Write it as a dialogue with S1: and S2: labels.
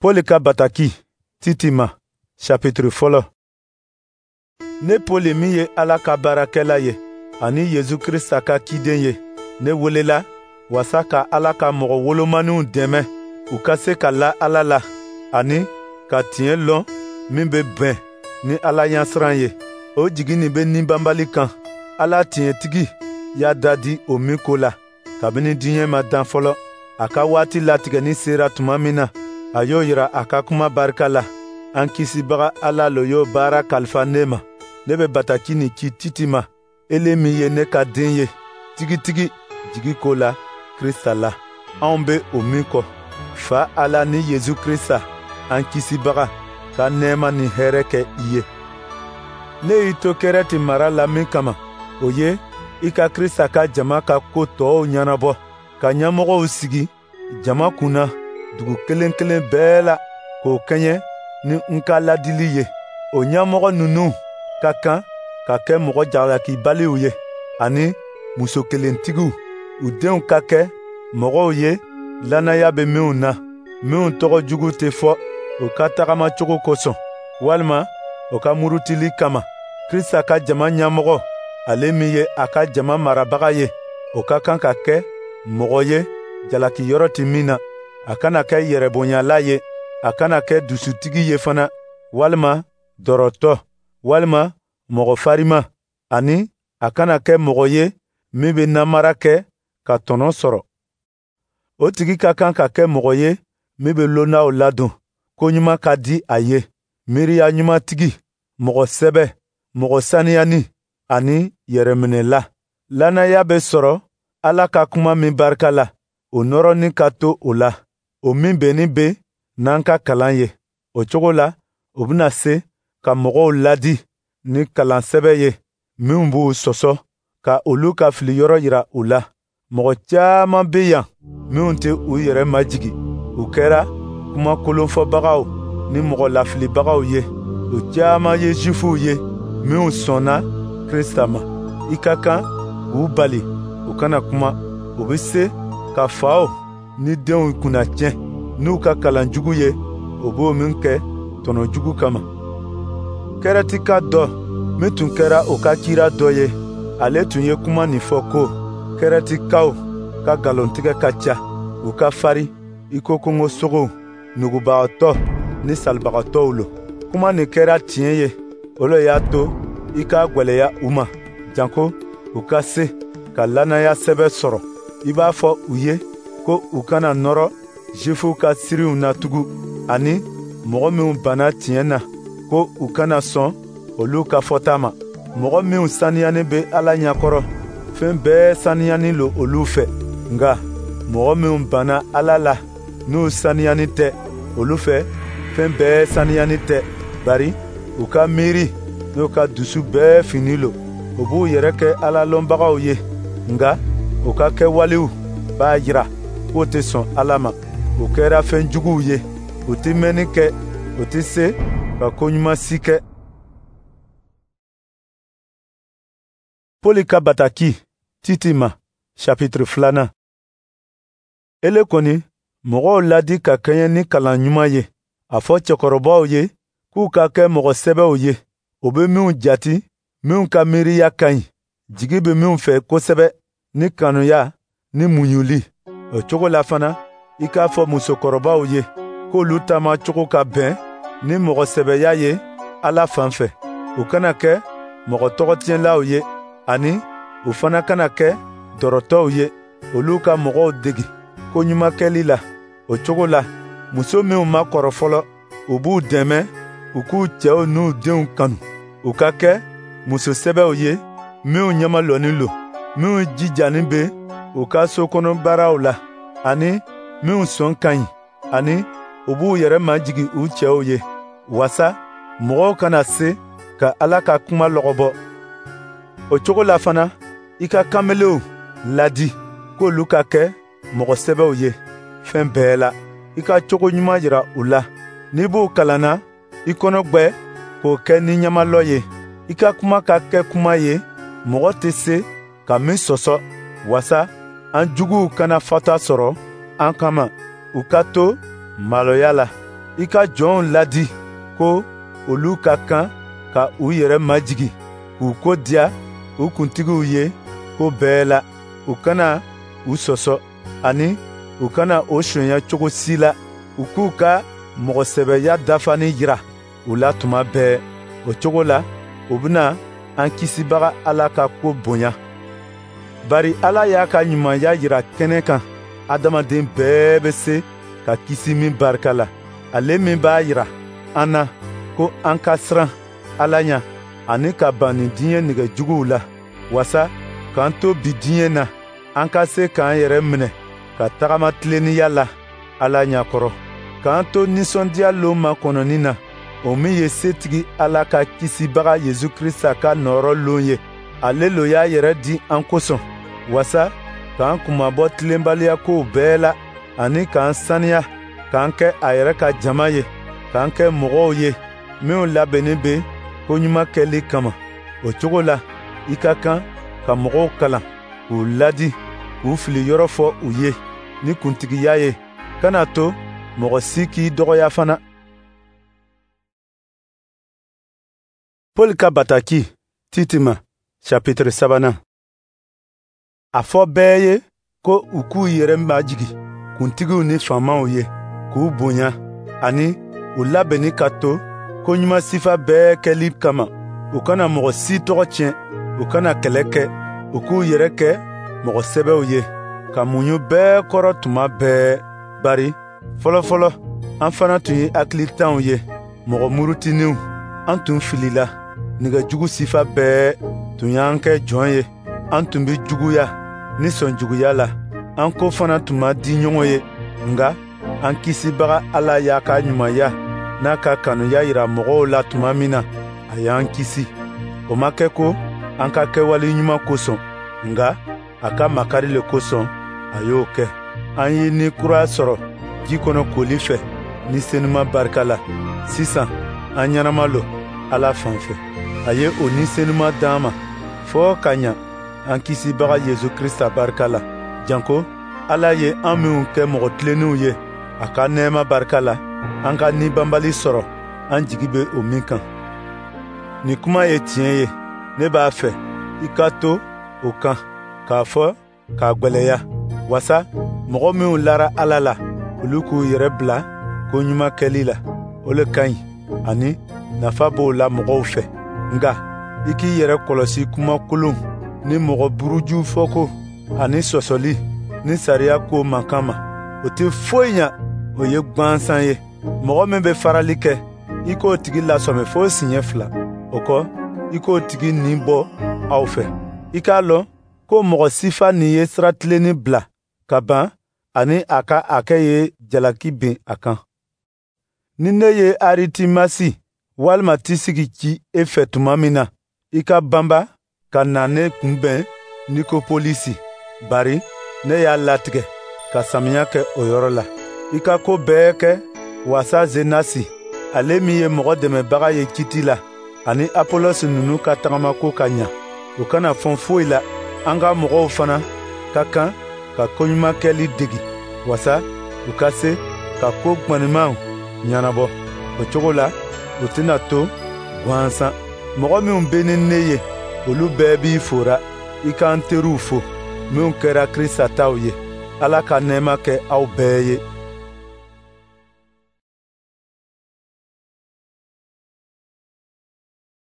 S1: Pɔli ka bataki Titi ma, chapitre fɔlɔ. Ne Pɔli min ye Ala ka baarakɛla ye ani Yesu Krista ka ciden ye, ne welela wasa ka Ala ka mɔgɔ wolomaninw dɛmɛ u ka se ka la Ala la ani ka tiɲɛ lɔn min bɛ bɛn ni Ala ɲɛsiran ye. O jigi nin bɛ nibabali kan, Ala tiɲɛtigi y'a da di o min ko la kabini diɲɛ ma dan fɔlɔ. A ka waati latigɛni sera tuma min na, a y'o yira a ka kuma barika la. An Kisibaga Ala lo y'o baara kalifa ne ma. Ne bɛ bataki nin ci Titi ma, ele min ye ne ka den ye tigitigi jigi ko la Krista la, anw bɛ o min kɔ. Fa Ala ni Yesu Krista an Kisibaga ka nɛɛma ni hɛrɛ kɛ i ye. Ne y'i to Kɛrɛti mara la min kama, o ye i ka Krista ka jama ka ko tɔw ɲɛnabɔ, ka ɲɛmɔgɔw sigi jama kunna dugu kelen kelen bɛɛ la, k'o kɛɲɛ ni n ka ladili ye. O ɲɛmɔgɔ ninnu ka kan ka kɛ mɔgɔ jalakibaliw ye ani muso kelentigiw, u denw ka kɛ mɔgɔw ye lannaya bɛ minw na, minw tɔgɔ jugu tɛ fɔ u ka tagamacogo kosɔn walima u ka murutili kama. Krista ka jama ɲɛmɔgɔ, ale min ye a ka jama marabaga ye, o ka kan ka kɛ mɔgɔ ye jalakiyɔrɔ tɛ min na. A kana kɛ yɛrɛbonyala ye, a kana kɛ dusutigi ye fana, walima dɔrɔtɔ, walima mɔgɔ farima, ani a kana kɛ mɔgɔ ye min bɛ namara kɛ ka tɔnɔ sɔrɔ. O tigi ka kan ka kɛ mɔgɔ ye min bɛ londaw ladon, ko ɲuman ka di a ye, miiriya ɲumantigi, mɔgɔ sɛbɛ, mɔgɔ saniyani ani yɛrɛminɛla. Lannaya bɛ sɔrɔ Ala ka kuma min barika la, o nɔrɔnin ka to o la, o min bɛnnin bɛ n'an ka kalan ye. O cogo la, o bɛna se ka mɔgɔw ladi ni kalan sɛbɛ ye minw b'u sɔsɔ, ka olu ka filiyɔrɔ yira u la. Mɔgɔ caman bɛ yan minw tɛ u yɛrɛ majigin, u kɛra kuma kolonfɔbagaw ni mɔgɔ lafilibagaw ye. U caman ye Zifuw ye minw sɔnna Krista ma. I ka kan k'u bali u kana kuma. U bɛ se ka faw ni denw kunnatiɲɛ n'u ka kalan jugu ye, u b'o min kɛ tɔnɔ jugu kama. Kɛrɛtika dɔ min tun kɛra o ka kira dɔ ye, ale tun ye kuma nin fɔ ko Kɛrɛtikaw ka nkalontigɛ ka ca, u ka fari i ko kungosogow, nugubagatɔ ni salibagatɔw lo. Kuma nin kɛra tiɲɛ ye, o le y'a to i k'a gwɛlɛya u ma, janko u ka se ka lannaya sɛbɛ sɔrɔ. I b'a fɔ u ye ko u kana nɔrɔ Zifuw ka siriw na tugun, ani mɔgɔ minw banna tiɲɛ na, ko u kana sɔn olu ka fɔta ma. Mɔgɔ minw saniyanin bɛ Ala ɲɛkɔrɔ, fɛn bɛɛ saniyanin lo olu fɛ. Nka mɔgɔ minw banna Ala la, n'u saniyanin tɛ, olu fɛ fɛn bɛɛ saniyanin tɛ, bari u ka miiri n'u ka dusu bɛɛ fini lo. U b'u yɛrɛ kɛ Ala lɔnbagaw ye, nka u ka kɛwalew b'a jira k'u tɛ sɔn Ala ma. U kɛra fɛn juguw ye, u tɛ mɛnni kɛ, u tɛ se ka ko ɲuman si kɛ. Pɔli ka bataki Titi ma, chapitre 2. Ele kɔni, mɔgɔw ladi ka kɛɲɛ ni kalan ɲuman ye. A fɔ cɛkɔrɔbaw ye k'u ka kɛ mɔgɔ sɛbɛw ye, u bɛ minw jati, minw ka miiriya ka ɲi, jigi bɛ minw fɛ kosɛbɛ, ni kanuya ni muɲuli. O cogo la fana, i k'a fɔ musokɔrɔbaw ye k'olu taamacogo ka bɛn ni mɔgɔ sɛbɛya ye Ala fan fɛ. U kana kɛ mɔgɔ tɔgɔtiɲɛlaw ye, ani u fana kana kɛ dɔrɔtɔw ye. Olu ka mɔgɔw degi ko ɲuman kɛli la. O cogo la, muso minw ma kɔrɔ fɔlɔ, u b'u dɛmɛ u k'u cɛw n'u denw kanu. U ka kɛ muso sɛbɛw ye minw ɲɛmalɔnin lo, minw jijanin bɛ u ka sokɔnɔ baaraw la, ani minw sɔn ka ɲi, ani u b'u yɛrɛ majigin u cɛw ye, wasa mɔgɔw kana se ka Ala ka kuma lɔgɔbɔ. O cogo la fana, i ka kanbelenw ladi k'olu ka kɛ mɔgɔ sɛbɛw ye fɛn bɛɛ la. I ka cogo ɲuman jira u la. N'i b'u kalanna, i kɔnɔ gwɛ k'o kɛ ni ɲamalɔ ye. I ka kuma ka kɛ kuma ye mɔgɔ tɛ se ka min sɔsɔ, wasa an juguw kana fata sɔrɔ an kama, u ka to maloya la. I ka jɔnw ladi ko olu ka kan ka u yɛrɛ majigin, k'u ko diya u kuntigiw ye ko bɛɛ la. U kana u sɔsɔ, ani u kana o sonya cogo si la. U k'u ka mɔgɔsɛbɛya dafalen jira u la tuma bɛɛ. O cogo la, u bɛna an Kisibaga Ala ka ko bonya. Bari Ala y'a ka ɲumanya jira kɛnɛ kan, adamaden bɛɛ bɛ se ka kisi min barika la. Ale min b'a jira an na ko an ka siran Ala ɲɛ ani ka ban nin diɲɛ nege juguw la, wasa k'an to bi diɲɛ na, an ka se k'an yɛrɛ minɛ ka tagama tilennenya la Ala ɲɛkɔrɔ, k'an to nisɔndiya lon makɔnɔni na, o min ye setigi Ala ka Kisibaga Yesu Krista ka nɔɔrɔ lon ye. Ale lo y'a yɛrɛ di an kosɔn, wasa k'an kunmabɔ tilenbaliya kow bɛɛ la, ani k'an saniya, k'an kɛ a yɛrɛ ka jama ye, k'an kɛ mɔgɔw ye minw labɛnnen bɛ koɲuman kɛli kama. O cogo la, i ka kan ka mɔgɔw kalan, k'u ladi, k'u fili yɔrɔ fɔ u ye ni kuntigiya ye. Kana to mɔgɔ si k'i dɔgɔya fana. Paul ka bataki Tite ma, chapitre 3nan. A fɔ bɛɛ ye ko u k'u yɛrɛ majigin kuntigiw ni faamaw ye, k'u bonya, ani u labɛnni ka to koɲuman sifa bɛɛ kɛli kama. U kana mɔgɔ si tɔgɔ tiɲɛ, u kana kɛlɛ kɛ, u k'u yɛrɛ kɛ mɔgɔ sɛbɛw ye, ka muɲu bɛɛ kɔrɔ tuma bɛɛ. Bari fɔlɔfɔlɔ an fana tun ye hakilitanw ye, mɔgɔ murutininw. An tun filila, nɛgɛjugu sifa bɛɛ tun y'an kɛ jɔn ye. An tun bɛ juguya ni sɔnjuguya la, an ko fana tun ma di ɲɔgɔn ye. Nka an Kisibaga Ala y'a ka ɲumanya n'a ka kanuya jira mɔgɔw la tuma min na, a y'an kisi. O ma kɛ ko an ka kɛwale ɲuman kosɔn, nka a ka makari le kosɔn a y'o kɛ. An ye ni kura sɔrɔ ji kɔnɔ koli fɛ ni senuma barika la. Sisan an ɲɛnama lo Ala fan fɛ. A ye o ni senuma d'an ma fɔɔ ka ɲa an Kisibaga Yesu Krista barika la. Janko Ala ye an minw kɛ mɔgɔ tilennenw ye a ka nɛɛma barika la, an ka ni banbali sɔrɔ an jigi bɛ o min kan. Nin kuma ye tiɲɛ ye, ne b'a fɛ i ka to o kan k'a fɔ k'a gwɛlɛya, wasa mɔgɔ minw lara Ala la, olu k'u yɛrɛ bila ko ɲuman kɛli la. O le ka ɲi, ani nafa b'o la mɔgɔw fɛ. Nka i k'i yɛrɛ kɔlɔsi kuma kolon ni mɔgɔ buruju fɔko ani sɔsɔli ni sariya ko mankan ma. O tɛ foyi ɲa, o ye gwansan ye. Mɔgɔ min bɛ farali kɛ, i k'o tigi lasɔmi fo siɲɛ 2. O kɔ, i k'o tigi nin bɔ aw fɛ. I k'a lɔn ko mɔgɔ sifa nin ye sira tilenni bila ka ban, ani a ka hakɛ ye jalaki bin a kan. Ni ne ye Aritimasi walima Tisigi ci e fɛ tuma min na, i ka banba ka na ne kunbɛn Nikopolisi, bari ne y'a latigɛ ka samiya kɛ o yɔrɔ la. I ka ko bɛɛ kɛ wasa Zenasi, ale min ye mɔgɔ dɛmɛbaga ye kiti la, ani Apolosi ninnu ka tagamako ka ɲa. U kana fɔn foyi la. An ka mɔgɔw fana ka kan ka koɲuman kɛli degi, wasa u ka se ka ko ŋanimaw ɲɛnabɔ. O cogo la, u tɛna to gansan. Mɔgɔ minw bɛ ni ne ye, olu bɛɛ b'i fora. I k'an teriw fo, minw kɛra Krista taw ye. Ala ka nɛɛma kɛ aw bɛɛ ye.